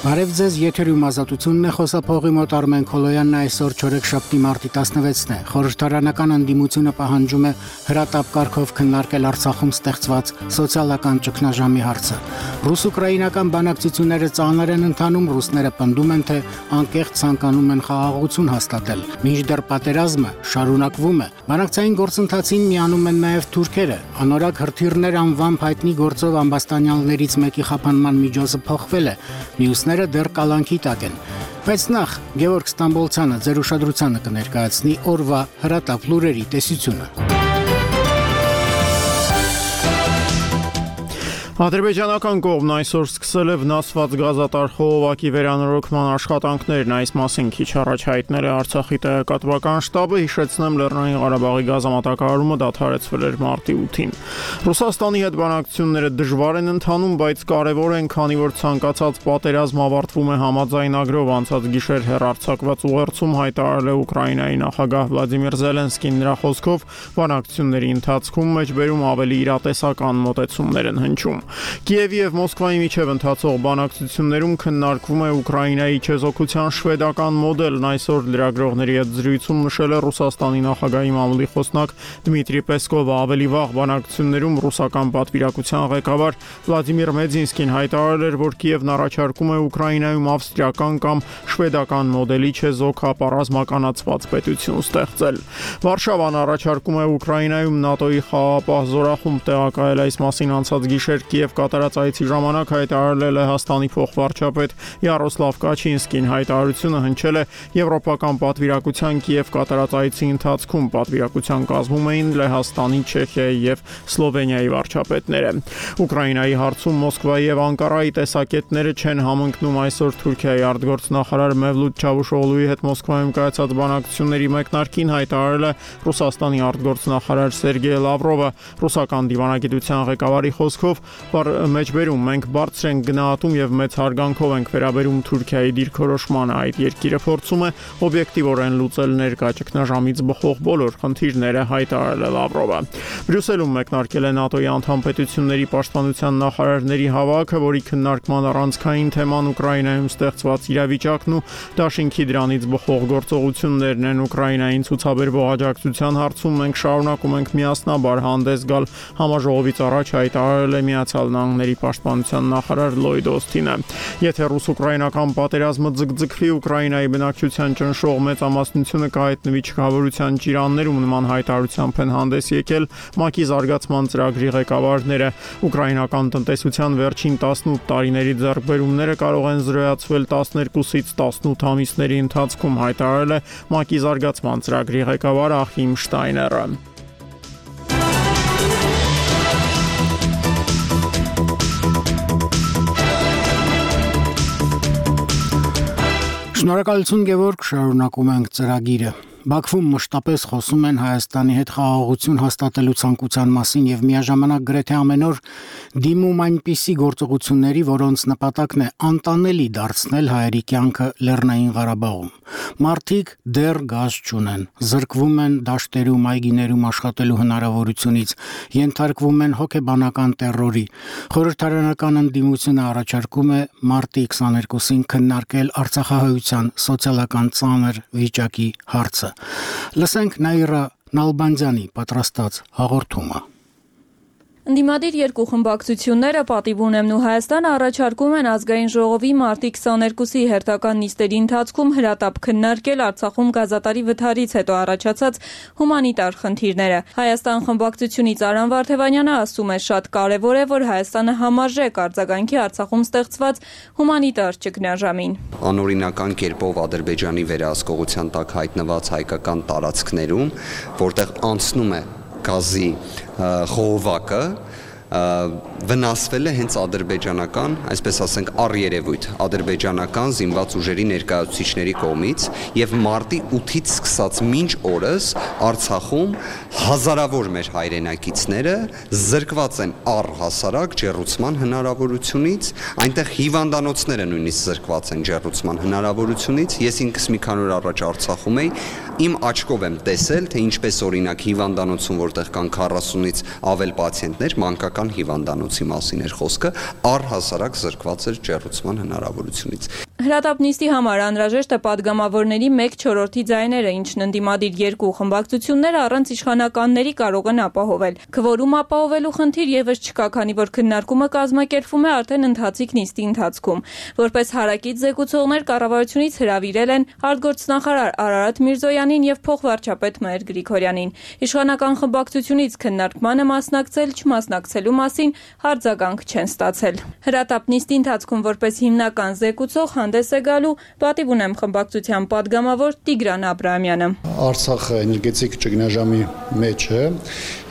Բարև ձեզ, եթերում ազատությունն է, խոսափողի մոտ Արմեն Քոլոյանն այսօր չորեքշաբթի մարտի 16-ն է։ Խորհրդարանական ընդդիմությունը պահանջում է հրատապ կարգով քննարկել Արցախում ստեղծված սոցիալական ճգնաժամի հարցը։ Ռուս-ուկրաինական բանակցությունները ծանր են ընթանում, ռուսները պնդում են, թե անկեղծ ցանկանում են խաղաղություն հաստատել։ Մինչդեռ պատերազմը շարունակվում է։ Բանակցային գործընթացին միանում են նաև թուրքերը։ Անորակ հրթիռներ անվամբ հայտնի գործով ամբաստանյալներից մեկի խափանման միջոցը փոխվել է։ Մյուսները դեռ կալանքի տակ են։ Բայց նախ Գևորգ Ստամբոլցյանը ձեր ուշադրությանը կներկայացնի օրվա հրատապ լուրերի տեսությունը։ Ադրբեջանական կողմն այսօր սկսել է վնասված գազատար խողովակի վերանորոգման աշխատանքներն, այս մասին քիչ առաջ հայտնել է Արցախի տեղեկատվական շտաբը, հիշեցնեմ Լեռնային Ղարաբաղի գազամատակարարումը դադարեցվել էր մարտի 8-ին։ Ռուսաստանի հետ բանակցությունները դժվար են ընթանում, բայց կարևոր են, քանի որ ցանկացած պատերազմ ավարտվում է համաձայնագրով, անցած գիշեր հեռարձակված ուղերձում հայտարարել է Ուկրաինայի նախագահ Վլադիմիր Զելենսկին, նրա խոսքով բանակցությունների ընթացքում մեջբերում ավելի իրատեսական մոտեցումներ են հնչում։ Կիևի եւ Մոսկվայի միջև ընթացող բանակցություններում քննարկվում է Ուկրաինայի չեզոքության շվեդական մոդելն, այսօր լրագրողների հետ զրույցում նշել է Ռուսաստանի նախագահի մամուլի խոսնակ Դմիտրի Պեսկովը, ավելի վաղ բանակցություններում ռուսական պատվիրակության ղեկավար Վլադիմիր Մեդինսկին հայտարարել էր, որ Կիևն առաջարկում է Ուկրաինայում ավստրիական կամ շվեդական մոդելի չեզոքապառազմականացված պետություն ստեղծել։ Վարշավան առաջարկում է Ուկրաինայում ՆԱՏՕ-ի խաղաղապահ զորախումբ տեղակայել, այս մասին անցած գիշեր Կիև կատարած այցի ժամանակ հայտարարել է Լեհաստանի փոխվարչապետ Յարոսլավ Կաչինսկին։ Հայտարարությունը հնչել է Եվրոպական պատվիրակության Կիև կատարած այցի ընթացքում։ Պատվիրակության կազմում էին Լեհաստանի, Չեխիայի եւ Սլովենիայի վարչապետները։ Ուկրաինայի հարցում Մոսկվայի եւ Անկարայի տեսակետները չեն համընկնում, այսօր Թուրքիայի արտգործնախարար Մևլութ Չավուշօղլուի հետ Մոսկվայում կայացած բանակցությունների մեկնարկին հայտարարել է Ռուսաստանի արտգործնախարար Սերգեյ Լավրովը։ Ռուսական դիվանագիտության ղեկավարի խոսքով մեջբերում մենք բարձր ենք գնահատում եւ մեծ հարգանքով ենք վերաբերում Թուրքիայի դիրքորոշմանը, այդ երկիրը փորձում է օբյեկտիվորեն լուծել ներկա ճգնաժամից բխող բոլոր խնդիրները, հայտարարել է Լավրովը։ Բրյուսելում մեկնարկել է ՆԱՏՕ-ի անդամ պետությունների պաշտպանության նախարարների հավաքը, որի քննարկման առանցքային թեման Ուկրաինայում ստեղծված իրավիճակն ու դաշինքի դրանից բխող գործողություններն են։ Ուկրաինային ցուցաբերվող աջակցության հարցում մենք շարունակում ենք միասնաբար հանդես գալ, համաժողովից առաջ հայտարարել է Միացյալ Նահանգների պաշտպանության նախարար Լոյդ Օսթինը։ Եթե ռուս-ուկրաինական պատերազմը ձգձգվի, Ուկրաինայի բնակչության ճնշող մեծամասնությունը կհայտնվի չքավորության ճիրաններում, նման հայտարարությամբ են հանդես եկել ՄԱԿ-ի զարգացման ծրագրի ղեկավարները։ Ուկրաինական տնտեսության վերջին 18 տարիների ձեռքբերումները կարող են զրոյացվել 12-ից 18 ամիսների ընթացքում, հայտարարել է ՄԱԿ-ի զարգացման ծրագրի ղեկավար Ախիմ Շտայները։ Շնորհակալություն Գևորգ, շարունակում ենք ծրագիրը։ Բաքվում մշտապես խոսում են Հայաստանի հետ խաղաղություն հաստատելու ցանկության մասին եւ միաժամանակ գրեթե ամեն օր դիմում այնպիսի գործողությունների, որոնց նպատակն է անտանելի դարձնել հայերի կյանքը Լեռնային Ղարաբաղում։ Մարդիկ դեռ գազ չունեն, զրկվում են դաշտերում, այգիներում աշխատելու հնարավորությունից, ենթարկվում են հոգեբանական տեռորի։ Խորհրդարանական ընդդիմությունը առաջարկում է մարտի 22-ին քննարկել արցախահայության սոցիալական ծանր վիճակի հարցը։ Լսենք Նաիրա Նալբանդյանի պատրաստած հաղորդումը։ Ընդդիմադիր երկու խմբակցությունները Պատիվ ունեմն ու Հայաստանը առաջարկում են ազգային ժողովի մարտի 22-ի հերթական նիստերի ընթացքում հրատապ քննարկել Արցախում գազատարի վթարից հետո առաջացած հումանիտար խնդիրները։ Հայաստան խմբակցությունից Արամ Վարդևանյանը ասում է, շատ կարևոր է, որ Հայաստանը համարժեք արձագանքի Արցախում ստեղծված հումանիտար ճգնաժամին։ Անօրինական կերպով Ադրբեջանի վերահսկողության տակ հայտնված հայկական տարածքներում, որտեղ անցնում է գազի խողովակը, վնասվել է հենց ադրբեջանական, այսպես ասենք, առերևույթ ադրբեջանական զինված ուժերի ներկայացուցիչների կողմից եւ մարտի 8-ից սկսած մինչ օրս Արցախում հազարավոր մեր հայրենակիցները զրկված են առհասարակ ջեռուցման հնարավորությունից, այնտեղ հիվանդանոցները նույնիսկ զրկված են ջեռուցման հնարավորությունից։ Ես ինքս մի քանի օր առաջ Արցախում էի, իմ աչքով եմ տեսել, թե ինչպես օրինակ հիվանդանոցում, որտեղ կան 40-ից ավել պացիենտներ, մանկական սոցիալական հիվանդանոցի մասին էր խոսքը, առհասարակ զրկված էր ջեռուցման հնարավորությունից։ Հրատապնիստի համար անհրաժեշտ է падգամավորների 1/4 ձայները, ինչն ընդդիմադիր երկու խմբակցությունները առանց իշխանականների կարող են ապահովել։ Քվորում ապահովելու խնդիր եւս չկա, քանի որ քննարկումը կազմակերպվում է արդեն ընթացիկ նիստի ընթացքում։ Որպես հարակից զեկուցողներ կառավարությունից հրավիրել են արտգործնախարար Արարատ Միրզոյանին եւ փոխվարչապետ Մհեր Գրիգորյանին։ Իշխանական խմբակցությունից քննարկմանը մասնակցել չմասնակցելու մասին արձագանք չեն ստացել։ Հրատապնիստի ընթացքում որպես հիմնական զեկուցող հանդես է գալու պատիվ ունեմ խմբակցության падգամավոր Տիգրան Աբրահամյանը։ Արցախը էներգետիկ ճգնաժամի մեջ է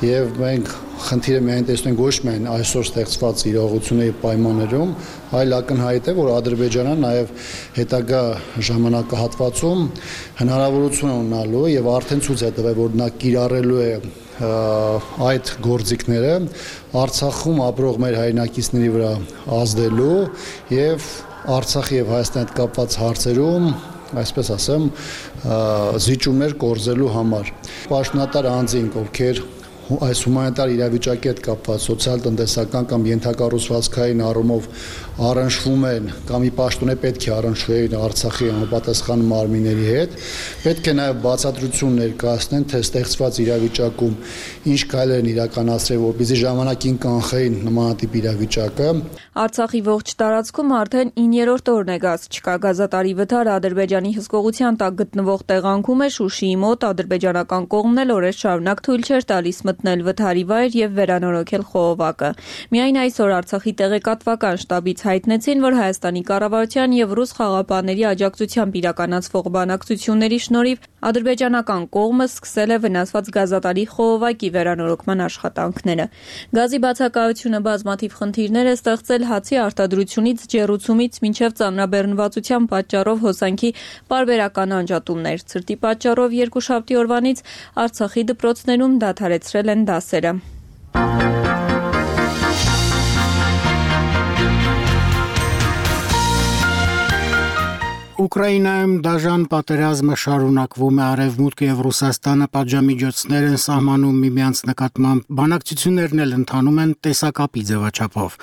եւ մենք խնդիրը միայն տեսնենք ոչ միայն այսօր ստեղծված իրողությունների պայմաններում, այլ ակնհայտ է, որ Ադրբեջանը նաեւ հետագա ժամանակահատվածում հնարավորություն է ունենալու եւ արդեն ցույց է տվել, որ նա կիրառելու է այդ գործիքները Արցախում ապրող մեր հայրենակիցների վրա ազդելու եւ Արցախի եւ Հայաստանի հետ կապված հարցերում, այսպես ասեմ, զիջումներ կորզելու համար։ Պաշտոնատար անձինք, ովքեր այս հումանիտար իրավիճակի հետ կապված սոցիալ-տնտեսական կամ ենթակառուցվածքային առումով առնչվում են կամ ի պաշտոնե պետք է առնչվեն Արցախի համապատասխան մարմինների հետ, պետք է նաև բացատրություն ներկայացնեն, թե ստեղծված իրավիճակում ինչ քայլեր են իրականացրել, որպեսզի ժամանակին կանխեին նմանատիպ իրավիճակը։ Արցախի ողջ տարածքում արդեն 9-րդ օրն է գազ չկա գազատարի վթարը Ադրբեջանի հսկողության տակ գտնվող տեղանքում է Շուշիի մոտ ադրբեջանական կողմն էլ օրեր շարունակ թույլ չէր տալիս մտնել վթարի վայր եւ վերանորոգել խողովակը։ Միայն այսօր Արցախի տեղեկատվական շտաբից հայտնեցին, որ Հայաստանի կառավարության եւ ռուս խաղապանների աջակցությամբ իրականացվող բանակցությունների շնորհիվ ադրբեջանական կողմը սկսել է վնասված գազատարի խողովակի վերանորոգման աշխատանքները։ Գազի բացակայությունը բազմաթիվ խնդիրներ է ստեղծել հացի արտադրությունից, ջեռուցումից մինչև ծանրաբեռնվածության պատճառով հոսանքի պարբերական անջատումներ։ Ցրտի պատճառով երկուշաբթի օրվանից Արցախի դպրոցներում դադարեցրել են դասերը։ Ուկրաինայում դաժան պատերազմը շարունակվում է, Արևմուտքը եւ Ռուսաստանը պատժամիջոցներ են սահմանում միմյանց նկատմամբ, բանակցություններն էլ ընթանում են տեսակապի ձևաչափով։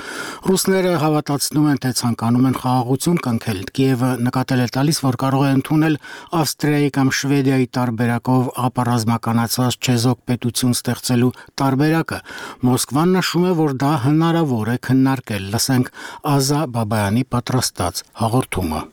Ռուսները հավատացնում են, թե ցանկանում են խաղաղություն կնքել։ Կիևը նկատել է տալիս, որ կարող է ընդունել Ավստրիայի կամ Շվեդիայի տարբերակով ապառազմականացված չեզոք պետություն ստեղծելու տարբերակը։ Մոսկվան նշում է, որ դա հնարավոր է քննարկել։ Լսենք Ազա Բաբայանի պատրաստած հաղորդումը։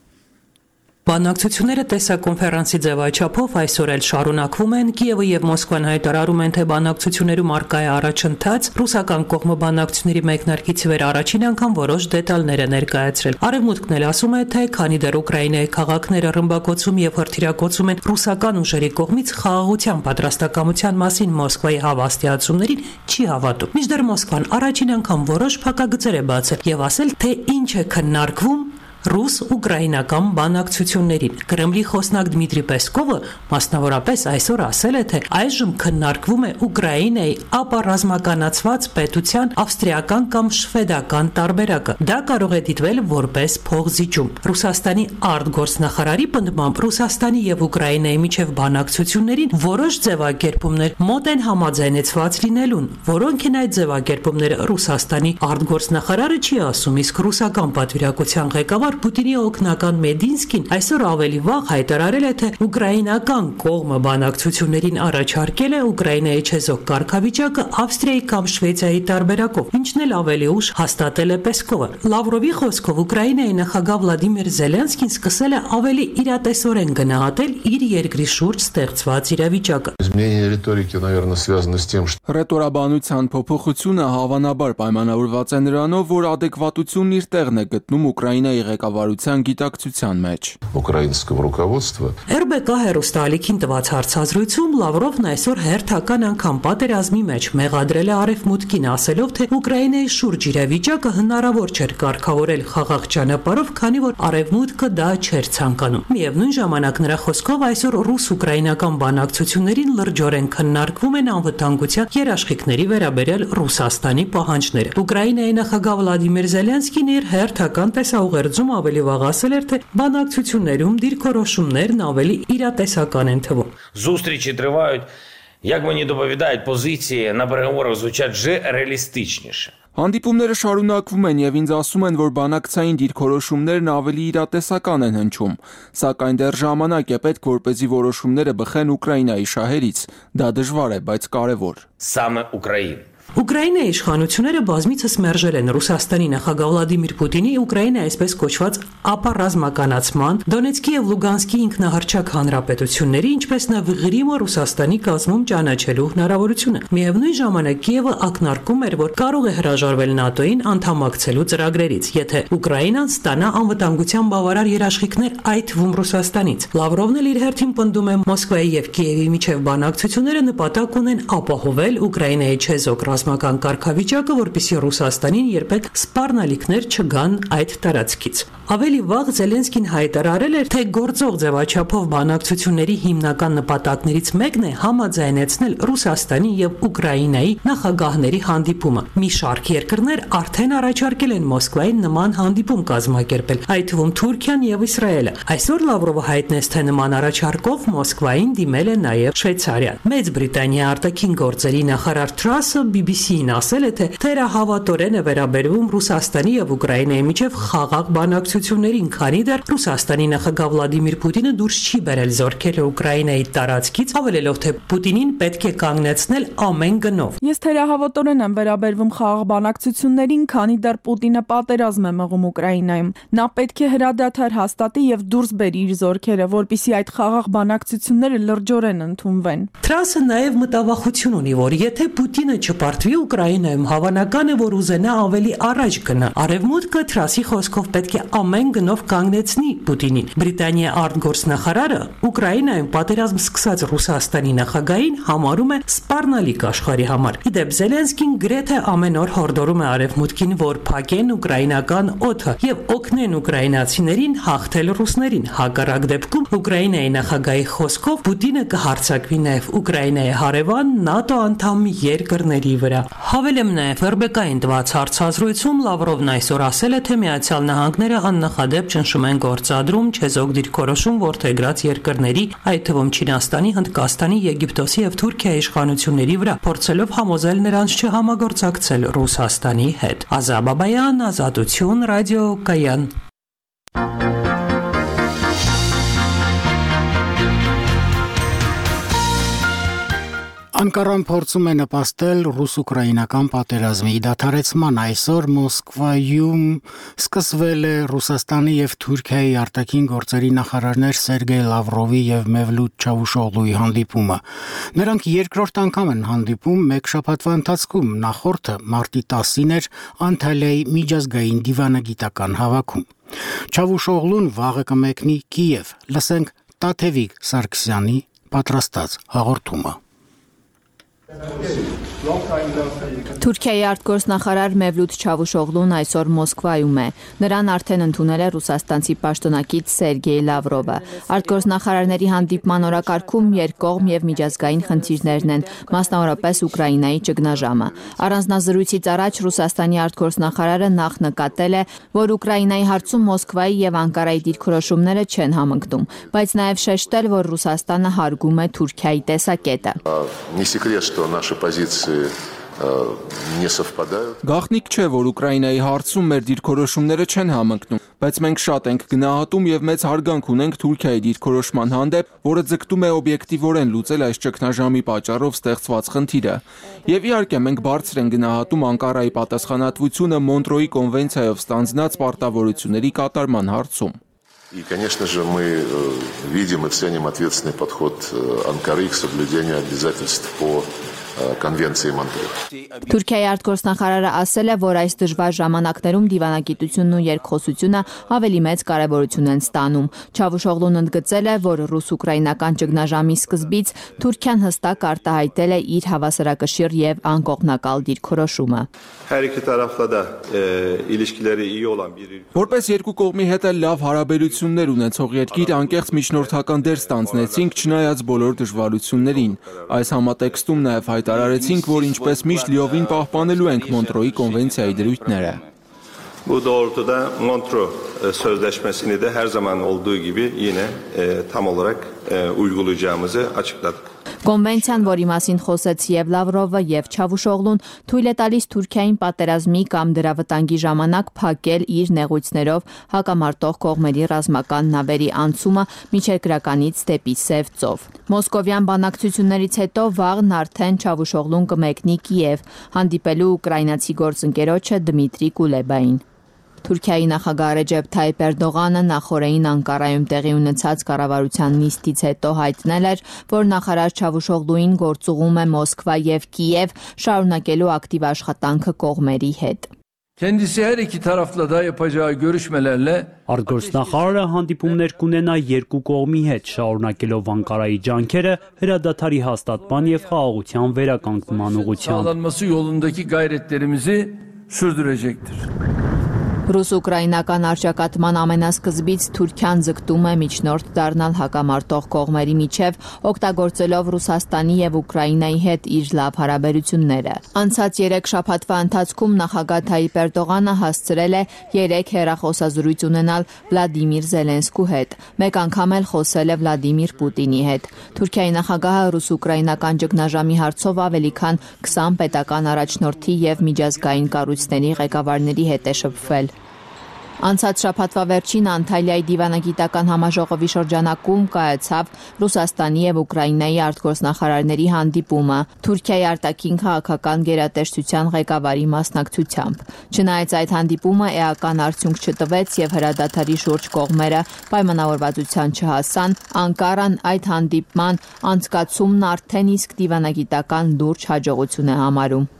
Բանակցությունները տեսակոնֆերանսի ձևաչափով այսօր էլ շարունակվում են, Կիևը եւ Մոսկվան հայտարարում են, թե բանակցություններում առկա է առաջընթաց, ռուսական կողմը բանակցությունների մեկնարկից վեր առաջին անգամ որոշ դետալներ է ներկայացրել։ Արևմուտքն էլ ասում է, թե քանի դեռ Ուկրաինայի քաղաքները ռմբակոծում եւ հրթիռակոծում են ռուսական ուժերի կողմից, խաղաղության պատրաստակամության մասին Մոսկվայի հավաստիացումներին չի հավատում։ Մինչդեռ Մոսկվան առաջին անգամ որոշ փակագծեր է բացել եւ ասել, թե ինչ է քննարկվում ռուս-ուկրաինական բանակցություններին։ Կրեմլի խոսնակ Դմիտրի Պեսկովը մասնավորապես այսօր ասել է, թե այժմ քննարկվում է Ուկրաինայի ապառազմականացված պետության ավստրիական կամ շվեդական տարբերակը։ Դա կարող է դիտվել որպես փոխզիջում։ Ռուսաստանի արտգործնախարարի պնդմամբ Ռուսաստանի եւ Ուկրաինայի միջև բանակցություններին որոշ ձևակերպումներ մոտ են համաձայնեցված լինելուն, որոնք են այդ ձևակերպումները Ռուսաստանի արտգործնախարարը չի ասում, իսկ ռուսական պատվիրակության ղեկավար Պուտինի օգնական Մեդինսկին այսօր ավելի վաղ հայտարարել է, թե ուկրաինական կողմը բանակցություններին առաջարկել է Ուկրաինայի չեզոք կարգավիճակը Ավստրիայի կամ Շվեդիայի տարբերակով, ինչն էլ ավելի ուշ հաստատել է Պեսկովը։ Լավրովի խոսքով Ուկրաինայի նախագահ Վլադիմիր Զելենսկին սկսել է ավելի իրատեսորեն գնահատել իր երկրի շուրջ ստեղծված իրավիճակը։ Ռետորաբանության փոփոխությունը հավանաբար պայմանավորված է նրանով, որ ադեկվատությունն իր տեղն է գտնում Ուկրաինայի ղեկավարության գիտակցության մեջ։ RBK հեռուստաալիքին տված հարցազրույցում Լավրովն այսօր հերթական անգամ պատերազմի մեջ մեղադրել է Արևմուտքին, ասելով, թե Ուկրաինայի շուրջ իրավիճակը հնարավոր չէր կարգավորել խաղաղ ճանապարհով, քանի որ Արևմուտքը դա չէր ցանկանում։ Միևնույն ժամանակ նրա խոսքով այսօր ռուս-ուկրաինական բանակցություններին լրջորեն քննարկվում են անվտանգության երաշխիքների վերաբերյալ Ռուսաստանի պահանջները։ Ուկրաինայի նախագահ Վլադիմիր Զելենսկին իր հերթական տեսաուղերձում ավելի վաղ ասել էր, թե բանակցություններում դիրքորոշումներն ավելի իրատեսական են թվում։ Зустрічі тривають, як мені доповідають, позиції на переговорах звучать вже реалістичніше. Հանդիպումները շարունակվում են եւ ինձ ասում են, որ բանակցային դիրքորոշումներն ավելի իրատեսական են հնչում, սակայն դեռ ժամանակ է պետք, որպեսզի որոշումները բխեն Ուկրաինայի շահերից։ Դա դժվար է, բայց կարևոր։ Սամը Ուկրաին Ուկրաինայի իշխանությունները բազմիցս մերժել են Ռուսաստանի նախագահ Վլադիմիր Պուտինի Ուկրաինայի այսպես կոչված ապառազմականացման, Դոնեցկի եւ Լուգանսկի ինքնահռչակ հանրապետությունների, ինչպես նաեւ Ղրիմը Ռուսաստանի կազմում ճանաչելու հնարավորությունը։ Միևնույն ժամանակ Կիևը ակնարկում էր, որ կարող է հրաժարվել ՆԱՏՕ-ին անդամակցելու ծրագրերից, եթե Ուկրաինան ստանա անվտանգության բավարար երաշխիքներ, այդ թվում Ռուսաստանից։ Լավրովն էլ իր հերթին պնդում է Մոսկվայի եւ Կիևի միջև բանակցությունները նպատակ ունեն ապահովել Ուկրաինայի չեզոք ռազմական կարգավիճակը, որպեսզի Ռուսաստանին երբեք սպառնալիքներ չգան այդ տարածքից։ Ավելի վաղ Զելենսկին հայտարարել էր, թե գործող ձևաչափով բանակցությունների հիմնական նպատակներից մեկն է համաձայնեցնել Ռուսաստանի եւ Ուկրաինայի նախագահների հանդիպումը։ Մի շարք երկրներ արդեն առաջարկել են Մոսկվային նման հանդիպում կազմակերպել, այդ թվում Թուրքիան եւ Իսրայելը։ Այսօր Լավրովը հայտնեց, թե նման առաջարկով Մոսկվային դիմել է նաեւ Շվեյցարիան։ Մեծ Բրիտանիայի արտաքին գործերի նախարար Թրասը BBC-ին ասել է, թե թերահավատորեն է վերաբերվում Ռուսաստանի եւ Ուկրաինայի միջև խաղաղ բանակցություններին, քանի դեռ Ռուսաստանի նախագահ Վլադիմիր Պուտինը դուրս չի բերել զորքերը Ուկրաինայի տարածքից, հավելելով, թե Պուտինին պետք է կանգնեցնել ամեն գնով։ Ես թերահավատորեն եմ վերաբերվում խաղաղ բանակցություններին, քանի դեռ Պուտինը պատերազմ է մղում Ուկրաինայում։ Նա պետք է հրադադար հաստատի եւ դուրս բերի իր զորքերը, որպեսզի այդ խաղաղ բանակցությունները լրջորեն ընդունվեն։ Թրասը նաեւ մտավախություն ունի, որ եթե Պուտինը չպարտվի Ուկրաինայում, հավանական է, որ ուզենա ավելի առաջ գնա։ Արևմուտքը Թրասի խոսքով պետք է ամեն գնով կանգնեցնի Պուտինին։ Բրիտանիայի արտգործնախարարը Ուկրաինայում պատերազմ սկսած Ռուսաստանի նախագահին համարում է սպառնալիք աշխարհի համար։ Իդեպ Զելենսկին գրեթե ամեն օր հորդորում է Արևմուտքին, որ փակեն ուկրաինական օդը եւ օգնեն ուկրաինացիներին հաղթել ռուսներին։ Հակառակ դեպքում Ուկրաինայի նախագահի խոսքով Պուտինը կհարձակվի նաեւ Ուկրաինայի հարևան ՆԱՏՕ անդամ երկրների վրա։ Հավելեմ նաև Ռբեկային տված հարցազրույցում Լավրովն այսօր ասել է, թե Միացյալ Նահանգները աննախադեպ ճնշում են գործադրում չեզոք դիրքորոշում որդեգրած երկրների, այդ թվում Չինաստանի, Հնդկաստանի, Եգիպտոսի եւ Թուրքիայի իշխանությունների վրա, փորձելով համոզել նրանց չհամագործակցել Ռուսաստանի հետ։ Ազա Բաբայան, Ազատություն, Ռադիո Կայան։ Անկարան փորձում է նպաստել ռուս-ուկրաինական պատերազմի դադարեցման։ Այսօր Մոսկվայում սկսվել է Ռուսաստանի եւ Թուրքիայի արտաքին գործերի նախարարներ Սերգեյ Լավրովի եւ Մևլութ Չավուշօղլուի հանդիպումը։ Նրանք երկրորդ անգամ են հանդիպում մեկ շաբաթվա ընթացքում, նախորդը մարտի 10-ին էր Անտալիայի միջազգային դիվանագիտական հավաքում։ Չավուշօղլուն վաղը կմեկնի Կիև։ Լսենք Տաթևիկ Սարգսյանի պատրաստած հաղորդումը։ Թուրքիայի արտգործնախարար Մևլութ Չավուշօղլուն այսօր Մոսկվայում է։ Նրան արդեն ընդունել է ռուսաստանցի պաշտոնակից Սերգեյ Լավրովը։ Արտգործնախարարների հանդիպման օրակարգում երկկողմ եւ միջազգային խնդիրներն են, մասնավորապես Ուկրաինայի ճգնաժամը։ Առանձնազրույցից առաջ Ռուսաստանի արտգործնախարարը նախ նկատել է, որ Ուկրաինայի հարցում Մոսկվայի եւ Անկարայի դիրքորոշումները չեն համընկնում, բայց նաեւ շեշտել, որ Ռուսաստանը հարգում է Թուրքիայի տեսակետը։ Наши позиции не совпадают. Գաղտնիք չէ, որ Ուկրաինայի հարցում մեր դիրքորոշումները չեն համընկնում, բայց մենք շատ ենք գնահատում եւ մեծ հարգանք ունենք Թուրքիայի դիրքորոշման հանդեպ, որը ձգտում է օբյեկտիվորեն լուծել այս ճգնաժամի պատճառով ստեղծված խնդիրը։ Եվ иարкե մենք բարձր ենք գնահատում Անկարայի պատասխանատվությունը Մոնտրոյի կոնվենցիայով ստանձնած պարտավորությունների կատարման հարցում։ И, конечно же, мы видим и ценим ответственный подход Анкары к соблюдению обязательств по Конвенции Монтрео։ Թուրքիայի արտգործնախարարը ասել է, որ այս դժվար ժամանակներում դիվանագիտությունն ու երկխոսությունը ավելի մեծ կարևորություն են ստանում։ Չավուշօղլուն ընդգծել է, որ ռուս-ուկրաինական ճգնաժամի սկզբից Թուրքիան հստակ արտահայտել է իր հավասարակշիռ եւ անկողմնակալ դիրքորոշումը։ Որպես երկու կողմի հետ էլ լավ հարաբերություններ ունեցող երկիր անկեղծ միջնորդական դեր ստանձնեցինք չնայած բոլոր դժվարություններին։ Այս համատեքստում նաև հայտարարեցինք, որ ինչպես միշտ լիովին պահպանելու ենք Մոնտրոյի կոնվենցիայի դրույթները։ Bu doğrultuda Montreux Sözleşmesi'ni de her zaman olduğu gibi yine tam olarak uygulayacağımızı açıkladık. Կոնվենցիան, որի մասին խոսեց եւ Լավրովը եւ Չավուշօղլուն, թույլ է տալիս Թուրքիային պատերազմի կամ դրա վտանգի ժամանակ փակել իր նեղույցներով հակամարտող կողմերի ռազմական նավերի անցումը միջերկրականից դեպի Սև ծով։ Մոսկովյան բանակցություններից հետո վաղն արդեն Չավուշօղլուն կմեկնի Կիև, հանդիպելու ուկրաինացի գործընկերոջը Դմիտրի Կուլեբային։ Թուրքիայի նախագահ Ռեջեփ Թայիփ Էրդողանը նախորդին Անկարայում տեղի ունեցած կառավարության նիստից հետո հայտնել էր, որ նախարար Չավուշօղլուին գործուղում է Մոսկվա եւ Կիև, շարունակելու ակտիվ աշխատանքը կողմերի հետ։ Kendisi her iki tarafla da yapacağı görüşmelerle Արտգործնախարարը հանդիպումներ կունենա երկու կողմի հետ, շարունակելով Անկարայի ջանքերը հրադադարի հաստատման եւ խաղաղության վերականգնման ուղղությամբ։ sağlanması yolundaki gayretlerimizi sürdürecektir. Ռուս-ուկրաինական արճակատման ամենասկզբից Թուրքիան ձգտում է միջնորդ դառնալ հակամարտող կողմերի միջև, օգտագործելով Ռուսաստանի եւ Ուկրաինայի հետ իր լավ հարաբերությունները։ Անցած 3 շաբաթվա ընթացքում նախագահ Թայիփ Էրդողանը հասցրել է 3 հեռախոսազրույց ունենալ Վլադիմիր Զելենսկու հետ։ Մեկ անգամ էլ խոսել է Վլադիմիր Պուտինի հետ։ Թուրքիայի նախագահը ռուս-ուկրաինական ճգնաժամի հարցով ավելի քան 20 պետական առաջնորդի եւ միջազգային կառույցների ղեկավարների հետ է շփվել։ Անցած շաբաթվա վերջին Անտալիայի դիվանագիտական համաժողովի շրջանակում կայացավ Ռուսաստանի եւ Ուկրաինայի արտգործնախարարների հանդիպումը Թուրքիայի արտաքին քաղաքական գերատեսչության ղեկավարի մասնակցությամբ։ Չնայած այդ հանդիպումը էական արդյունք չտվեց եւ հրադադարի շուրջ կողմերը պայմանավորվածության չհասան, Անկարան այդ հանդիպման անցկացումն արդեն իսկ դիվանագիտական լուրջ հաջողություն է համարում։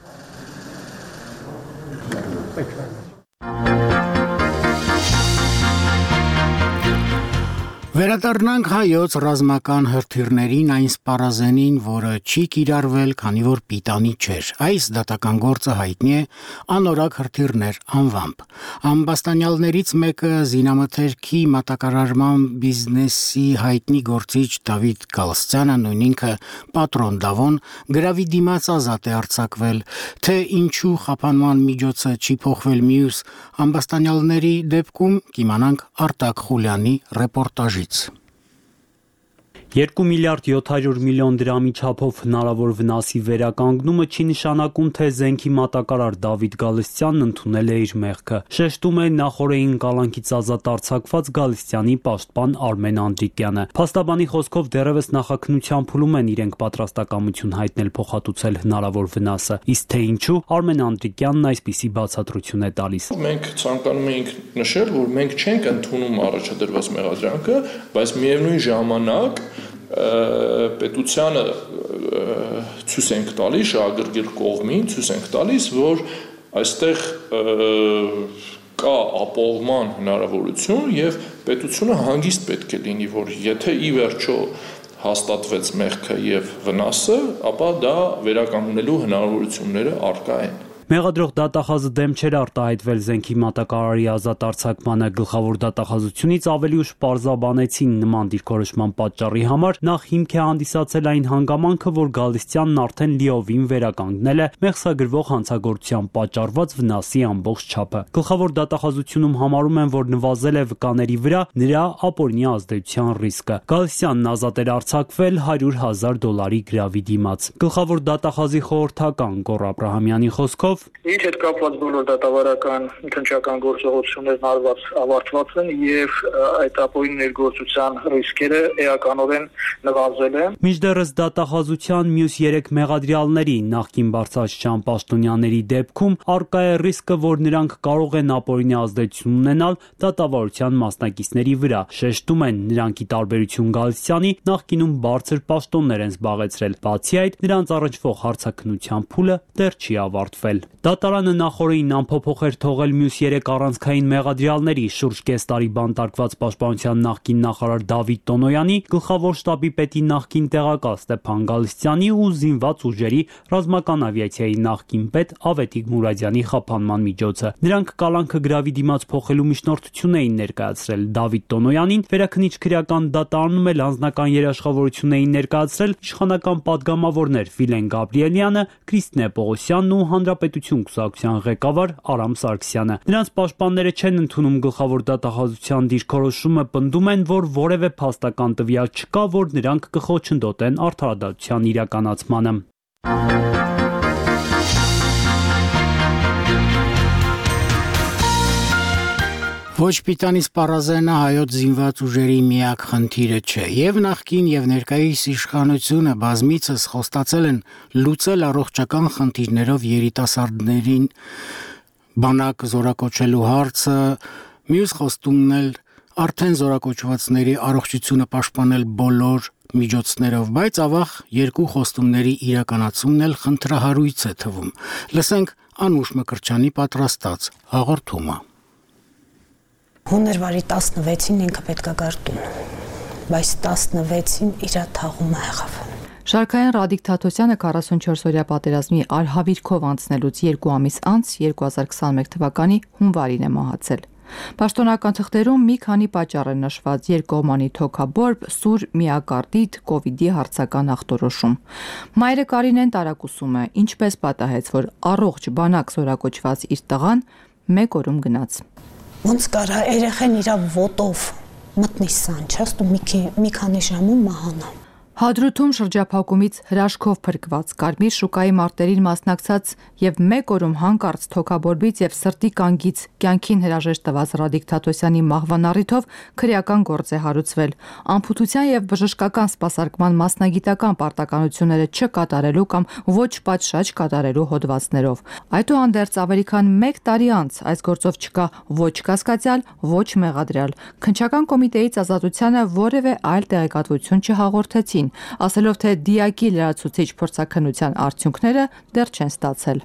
Վերադառնանք հայոց ռազմական հրթիռներին այն սպառազենին, որը չի կիրառվել, քանի որ պիտանի չէր։ Այս դատական գործը հայտնի է անորակ հրթիռներ անվամբ։ Ամբաստանյալներից մեկը զինամթերքի մատակարարման բիզնեսի հայտնի գործիչ Դավիթ Գալստյանը, նույն ինքը Պատրոն Դավոն, գրավի դիմաց ազատ է արձակվել, թե ինչու խափանման միջոցը չի փոխվել մյուս ամբաստանյալների դեպքում, կիմանանք Արտակ Խուլյանի ռեպորտաժից։ 2 միլիարդ 700 միլիոն դրամի չափով հնարավոր վնասի վերականգնումը չի նշանակում, թե զենքի մատակարար Դավիթ Գալստյանն ընդունել է իր մեղքը։ Շեշտում է նախորդին կալանքից ազատ արձակված Գալստյանի պաշտպան Արմեն Անդրիկյանը։ Փաստաբանի խոսքով դեռևս նախաքննության փուլում են իրենք պատրաստակամություն հայտնել փոխհատուցել հնարավոր վնասը, իսկ թե ինչու Արմեն Անդրիկյանն այսպիսի բացատրություն է տալիս։ Մենք ցանկանում ենք նշել, որ մենք չենք ընդունում առաջադրված մեղադրանքը, բայց միևնույն ժամանակ պետությանը ցույց ենք տալիս, շահագրգիռ կողմին ցույց ենք տալիս, որ այստեղ կա ապահովման հնարավորություն եւ պետությունը հանգիստ պետք է լինի, որ եթե ի վերջո հաստատվեց մեղքը եւ վնասը, ապա դա վերականգնելու հնարավորությունները առկա են։ Մեղադրող դատախազը դեմ չէր արտահայտվել զենքի մատակարարի ազատ արձակմանը, գլխավոր դատախազությունից ավելի ուշ պարզաբանեցին նման դիրքորոշման պատճառի համար, նախ հիմք է հանդիսացել այն հանգամանքը, որ Գալստյանն արդեն լիովին վերականգնել է մեղսագրվող հանցագործության պատճառված վնասի ամբողջ չափը։ Գլխավոր դատախազությունում համարում են, որ նվազել է վկաների վրա նրա ապօրինի ազդեցության ռիսկը։ Գալստյանն ազատ էր արձակվել $100,000 գրավի դիմաց։ Գլխավոր դատախազի խորհրդական Գոռ Աբրահամյանի խոսքով Ինչ հետ կապված բոլոր դատավարական քննչական գործողություններն ավարտված են եւ այդ ապօրինի ներգործության ռիսկերը էականորեն նվազել են։ Մինչդեռս դատախազության մյուս 3 մեղադրյալների նախկին բարձրաստիճան պաշտոնյաների դեպքում առկա է ռիսկը, որ նրանք կարող են ապօրինի ազդեցություն ունենալ դատավարության մասնակիցների վրա։ Շեշտում են, նրանք ի տարբերություն Գալստյանի նախկինում բարձր պաշտոններ են զբաղեցրել։ Բացի այդ, նրանց առնչվող հարցաքննության փուլը դեռ չի ավարտվել։ Դատարանը նախորդին անփոփոխ էր թողել մյուս 3 առանցքային մեղադրյալների շուրջ կես տարի բանտարկված պաշտպանության նախկին նախարար Դավիթ Տոնոյանի, գլխավոր շտաբի պետի նախկին տեղակալ Ստեփան Գալստյանի ու զինված ուժերի ռազմական ավիացիայի նախկին պետ Ավետիք Մուրադյանի խափանման միջոցը։ Նրանք կալանքը գրավի դիմաց փոխելու միջնորդություն էին ներկայացրել Դավիթ Տոնոյանին, վերաքննիչ քրեական դատարանում էլ անձնական երաշխավորություն էին ներկայացրել իշխանական պատգամավորներ Վիլեն Գաբրիելյանը, Կրիստինե Պողոսյանն ու հանրապետ պետություն կուսակցության ղեկավար Արամ Սարգսյանը։ Նրանց պաշտպանները չեն ընդունում գլխավոր դատախազության դիրքորոշումը, պնդում են, որ որևէ փաստական տվյալ չկա, որ նրանք կխոչընդոտեն արդարադատության իրականացմանը։ Ոչ պիտանի սպառազենը հայոց զինված ուժերի միակ խնդիրը չէ, եւ նախկին եւ ներկայիս իշխանությունը բազմիցս խոստացել են լուծել առողջական խնդիրներով երիտասարդներին բանակ զորակոչելու հարցը, մյուս խոստումն էլ արդեն զորակոչվածների առողջությունը պաշտպանել բոլոր միջոցներով, բայց ավաղ երկու խոստումների իրականացումն էլ խնդրահարույց է թվում։ Լսենք Անուշ Մկրտչյանի պատրաստած հաղորդումը։ Հունվարի 16-ին ինքը պետք է գար տուն, բայց 16-ին իր թաղումը եղավ։ Շարքային Ռադիկ Թաթոսյանը 44-օրյա պատերազմի արհավիրքով անցնելուց 2 ամիս անց 2021 թվականի հունվարին է մահացել։ Պաշտոնական թղթերում մի քանի պատճառ են նշված՝ երկկողմանի թոքաբորբ, սուր միակարդիտ, կովիդի հարցական ախտորոշում։ Մայրը Կարինեն տարակուսում է, ինչպես պատահեց, որ առողջ բանակ զորակոչված իր տղան մեկ օրում գնաց։ Ոնց կարա երեխեն իր ոտով մտնի սանչաստ ու մի քանի ժամում մահանա։ Հադրութում շրջափակումից հրաշքով փրկված Կարմիր շուկայի մարտերին մասնակցած եւ մեկ օրում հանկարծ թոքաբորբից եւ սրտի կանգից կյանքին հրաժեշտ տված Ռադիկ Թաթոսյանի մահվան առիթով քրեական գործ է հարուցվել։ Անփութության եւ բժշկական սպասարկման մասնագիտական պարտականությունները չկատարելու կամ ոչ պատշաճ կատարելու հոդվածներով։ Այդուհանդերձ ավելի քան 1 տարի անց այս գործով չկա ոչ կասկածյալ, ոչ մեղադրյալ։ Քննչական կոմիտեից ազատությանը որևէ այլ տեղեկատվություն չհաղորդեցին, ասելով թե դիակի լրացուցիչ փորձաքննության արդյունքները դեռ չեն ստացել։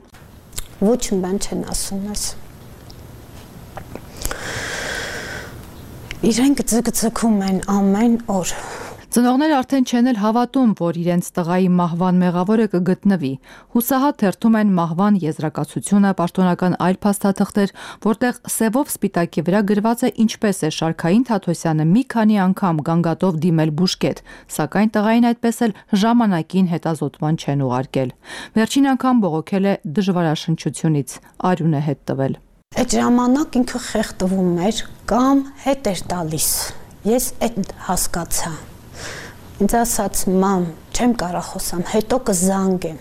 Ոչ մի բան չեն ասում ես։ Իրենք ձգձգում են ամեն օր։ Ծնողները արդեն չեն էլ հավատում, որ իրենց տղայի մահվան մեղավորը կգտնվի։ Հուսահատ թերթում են մահվան եզրակացությունը, պաշտոնական այլ փաստաթղթեր, որտեղ սևով սպիտակի վրա գրված է ինչպես է Շարքային Թաթոսյանը մի քանի անգամ գանգատով դիմել բուժկետ, սակայն տղային այդպես էլ ժամանակին հետազոտման չեն ուղարկել։ Վերջին անգամ բողոքել է դժվարաշնչությունից, արյուն է հետ տվել։ Այդ ժամանակ ինքը խեղդվում էր կամ հետ էր տալիս։ Ես այդ հասկացա։ Ինձ ասաց մամ, չեմ կարող խոսամ, հետո կզանգեմ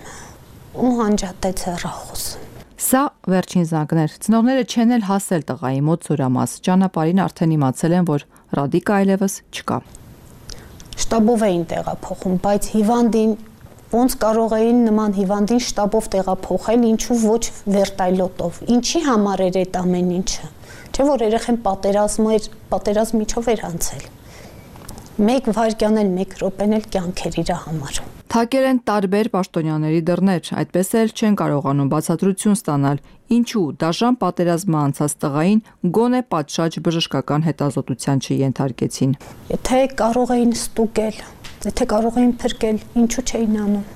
ու հանջատեց հեռախոսը։ Սա վերջին զանգներ։ Ծնողները չեն էլ հասել տղայի մոտ Սուրամաս։ Ճանապարհին արդեն իմացել են, որ Ռադիկը այլևս չկա։ Շտաբով էին տեղափոխում, բայց հիվանդին ոնց կարող էին նման հիվանդին շտաբով տեղափոխել, ինչու ոչ վերտայլոտով։ Ինչի համար էր այդ ամեն ինչը։ Չէ՞ որ երեխեն պատերազմիչով էր անցել։ Մեկ վայրկյան էլ, մեկ րոպեն էլ կյանքեր իր համար։ Թակեր են տարբեր պաշտոնյաների դռներ, այդպես էլ չեն կարողանում բացատրություն ստանալ, ինչու դաժան պատերազմը անցած տղային գոնե պատշաճ բժշկական հետազոտության չենթարկեցին։ Եթե կարող էին ստուգել, եթե կարող էին փրկել, ինչու չէին անում։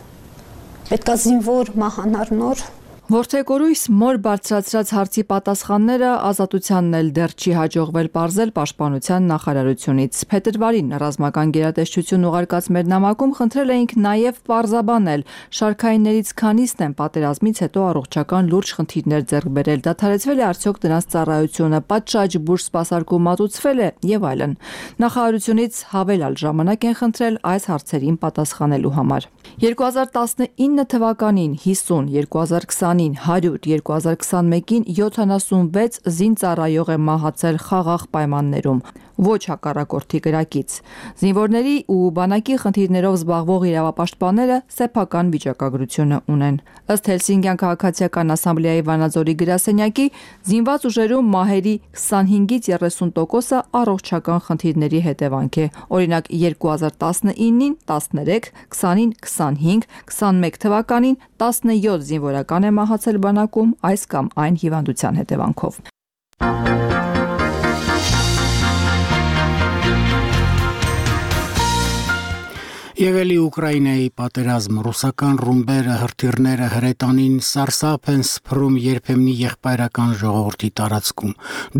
Պետքա զինվոր մահանար նոր։ Որդեկորույս մոր բարձրացրած հարցի պատասխանները ազատությանն էլ դեռ չի հաջողվել պարզել պաշտպանության նախարարությունից։ Փետրվարին ռազմական գերատեսչություն ուղարկած մեր նամակում խնդրել էինք նաև պարզաբանել շարքայիններից քանիսն են պատերազմից հետո առողջական լուրջ խնդիրներ ձեռք բերել, դադարեցվել է արդյոք դրանց ծառայությունը, պատշաճ բուժ սպասարկում մատուցվել է եւ այլն։ Նախարարությունից հավելյալ ժամանակ են խնդրել այս հարցերին պատասխանելու համար։ 2019 թվականին 50, 2020-ին 100, 2021-ին 76 զինծառայող է մահացել խաղաղ պայմաններում, ոչ հակառակորդի կրակից։ Զինվորների ու բանակի խնդիրներով զբաղվող իրավապաշտպանները սեփական վիճակագրությունը ունեն։ Ըստ Հելսինկյան քաղաքացիական ասամբլեայի Վանաձորի գրասենյակի, զինված ուժերում մահերի 25-ից 30%-ը առողջական խնդիրների հետևանք է։ Օրինակ 2019-ին 13, 20-ին 25, 21 թվականին 17 զինվորական է մահացել բանակում այս կամ այն հիվանդության հետևանքով։ Եվ էլի Ուկրաինայի պատերազմ ռուսական ռումբերը հրթիռները հրետանին սարսափ են սփռում երբեմնի եղբայրական ժողովրդի տարածքում։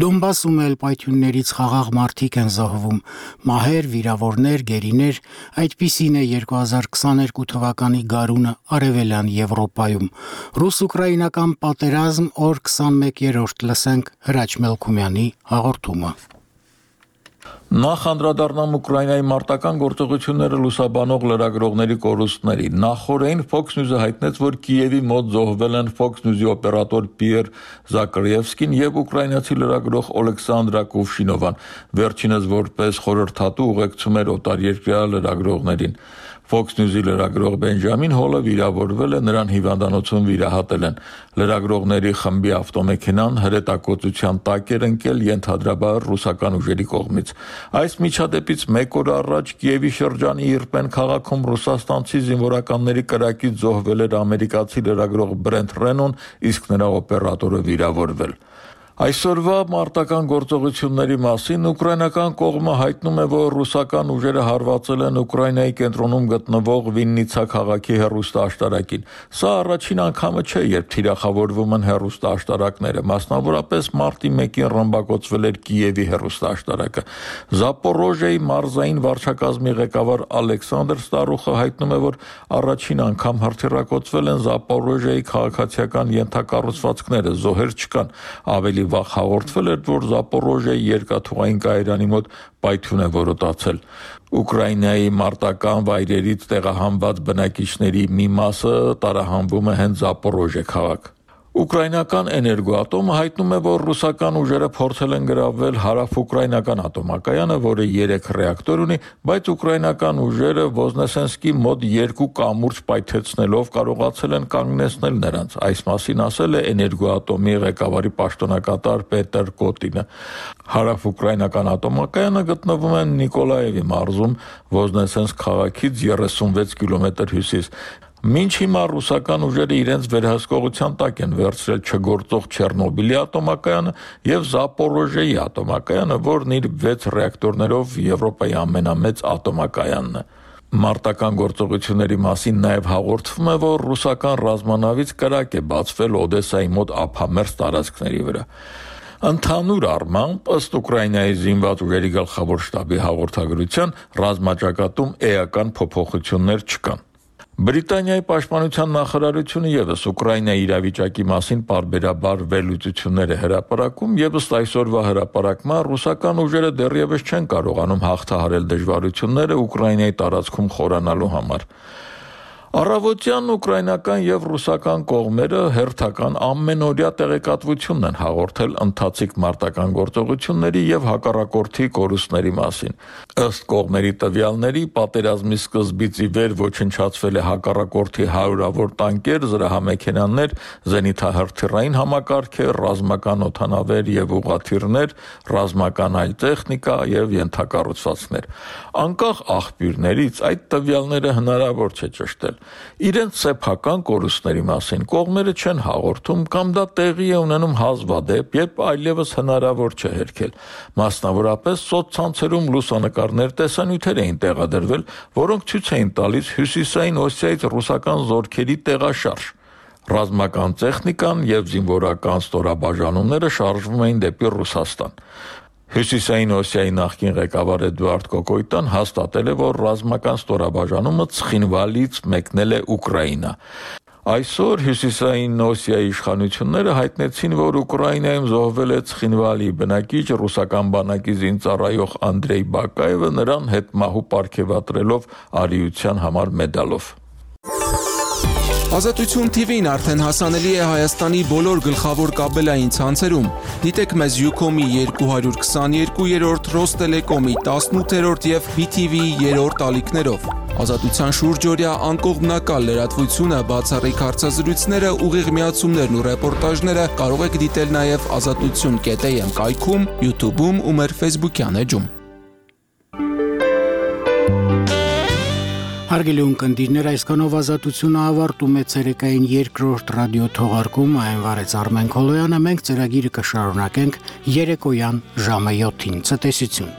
Դոնբասում էլ պայթյուններից խաղաղ մարդիկ են զոհվում, մահեր, վիրավորներ, գերիներ, այդպիսին է 2022 թվականի գարունը Արևելյան Եվրոպայում։ Ռուս-ուկրաինական պատերազմ օր 21-րդ լսենք Հրաչ Մելքումյանի հաղորդումը։ Նախ անդրադառնամ Ուկրաինայի մարտական գործողությունները լուսաբանող լրագրողների կորուստների։ Նախորդին Fox News-ը հայտնեց, որ Կիևի մոտ զոհվել են Fox News-ի օպերատոր Պիեր Զակարևսկին եւ ուկրաինացի լրագրող Օլեքսանդրա Կուվշինովան, վերջինս որպես խորհրդատու ուղեկցում էր օտարերկրյա լրագրողներին։ Fox News-ի լրագրող Բենջամին Հոլը վիրավորվել է, նրան հիվանդանոցում վիրահատել են։ Լրագրողների խմբի ավտոմեքենան հրետակոծության տակ էր ընկել ենթադրաբար ռուսական ուժերի կողմից։ Այս միջադեպից մեկ օր առաջ Կիևի շրջանի Իրպեն քաղաքում ռուսաստանցի զինվորականների կրակից զոհվել էր ամերիկացի լրագրող Բրենթ Ռենոն, իսկ նրա օպերատորը վիրավորվել։ Այսօրվա մարտական գործողությունների մասին ուկրաինական կողմը հայտնում է, որ ռուսական ուժերը հարվածել են Ուկրաինայի կենտրոնում գտնվող Վիննիցա քաղաքի հեռուստաաշտարակին։ Սա առաջին անգամը չէ, երբ թիրախավորվում են հեռուստաաշտարակները, մասնավորապես մարտի 1-ին ռմբակոծվել էր Կիևի հեռուստաաշտարակը։ Զապորոժիայի մարզային վարչակազմի ղեկավար Ալեքսանդր Ստարուխը հայտնում է, որ առաջին անգամ հրթիռակոծվել են Զապորոժիայի քաղաքացիական ենթակառուցվածքները, զոհեր չկան։ Ավելի վաղ հաղորդվել էր, որ Զապորոժիայի երկաթուղային կայարանի մոտ պայթյուն է որոտացել։ Ուկրաինայի մարտական վայրերից տեղահանված բնակիչների մի մասը տարահանվում է հենց Զապորոժիա քաղաք։ Ուկրաինական էներգոատոմը հայտնում է, որ ռուսական ուժերը փորձել են գրավել հարավ-ուկրաինական ատոմակայանը, որը 3 ռեակտոր ունի, բայց ուկրաինական ուժերը Ոզնեսենսկի մոտ 2 կամուրջ պայթեցնելով կարողացել են կանգնեցնել նրանց։ Այս մասին ասել է էներգոատոմի ղեկավարի պաշտոնակատար Պետր Կոտինը։ Հարավ-ուկրաինական ատոմակայանը գտնվում է Նիկոլաևի մարզում, Ոզնեսենսկ քաղաքից 36 կիլոմետր հյուսիս։ Մինչ հիմա ռուսական ուժերը իրենց վերահսկողության տակ են վերցրել չգործող Չեռնոբիլի ատոմակայանը եւ Զապորոժիայի ատոմակայանը, որն իր 6 ռեակտորներով Եվրոպայի ամենամեծ ատոմակայանն է։ Մարտական գործողությունների մասին նաև հաղորդվում է, որ ռուսական ռազմանավից կրակ է բացվել Օդեսայի մոտ ափամերձ տարածքների վրա։ Ընդհանուր առմամբ, ըստ Ուկրաինայի զինված ուժերի գլխավոր շտաբի հաղորդագրության, ռազմաճակատում էական փոփոխություններ չկան։ Բրիտանիայի պաշտպանության նախարարությունը եւս Ուկրաինայի իրավիճակի մասին պարբերաբար վերլուծություններ է հրապարակում եւ ըստ այսօրվա հրապարակման ռուսական ուժերը դեռևս չեն կարողանում հաղթահարել դժվարությունները Ուկրաինայի տարածքում խորանալու համար։ Առավոտյան ուկրաինական եւ ռուսական կողմերը հերթական ամենօրյա տեղեկատվությունն են հաղորդել ընթացիկ մարտական գործողությունների եւ հակառակորդի կորուստների մասին։ Ըստ կողմերի տվյալների, պատերազմի սկզբից ի վեր ոչնչացվել է հակառակորդի հարյուրավոր տանկեր, զրահամեքենաներ, զենիթահրթիռային համակարգեր, ռազմական օդանավեր եւ ուղղաթիռներ, ռազմական այլ տեխնիկա եւ ենթակառուցվածքներ։ Անկախ աղբյուրներից այդ տվյալները հնարավոր չէ ճշտել։ Իրենց սեփական կորուստների մասին կողմերը չեն հաղորդում կամ դա տեղի է ունենում հազվադեպ, երբ այլևս հնարավոր չէ հերքել։ Մասնավորապես սոցցանցերում լուսանկարներ տեսանյութեր էին տեղադրվել, որոնք ցույց էին տալիս հյուսիսային Օսիայից ռուսական զորքերի տեղաշարժ։ Ռազմական տեխնիկան եւ զինվորական ստորաբաժանումները շարժվում էին դեպի Ռուսաստան։ Հյուսիսային Օսիայի նախկին ղեկավար Էդուարդ Կոկոյտան հաստատել է, որ ռազմական ստորաբաժանումը Ցխինվալից մեկնել է Ուկրաինա։ Այսօր Հյուսիսային Օսիայի իշխանությունները հայտնեցին, որ Ուկրաինայում զոհվել է Ցխինվալի բնակիչ ռուսական բանակի զինծառայող Անդրեյ Բակաևը, նրան հետմահու պարգևատրելով արիության համար մեդալով։ Ազատություն TV-ն արդեն հասանելի է Հայաստանի բոլոր գլխավոր կաբելային ցանցերում։ Դիտեք մեզ Ucom-ի 222-րդ, Ռոստելեկոմի 18-րդ եւ BTV-ի 3-րդ ալիքներով։ Ազատության շուրջօրյա անկողմնակալ լրատվությունը, բացառիկ հարցազրույցները, ուղիղ միացումներն ու ռեպորտաժները կարող եք դիտել նաեւ azatutun.am կայքում, YouTube-ում ու մեր Facebook-յան էջում։ Հարգելի ունկնդիրներ, այսքանով ազատությունը ավարտում է ցերեկային երկրորդ ռադիո թողարկումը, այն վարեց Արմեն Քոլոյանը, մենք ծրագիրը կշարունակենք երեկոյան ժամը 7-ին։ Ցտեսություն։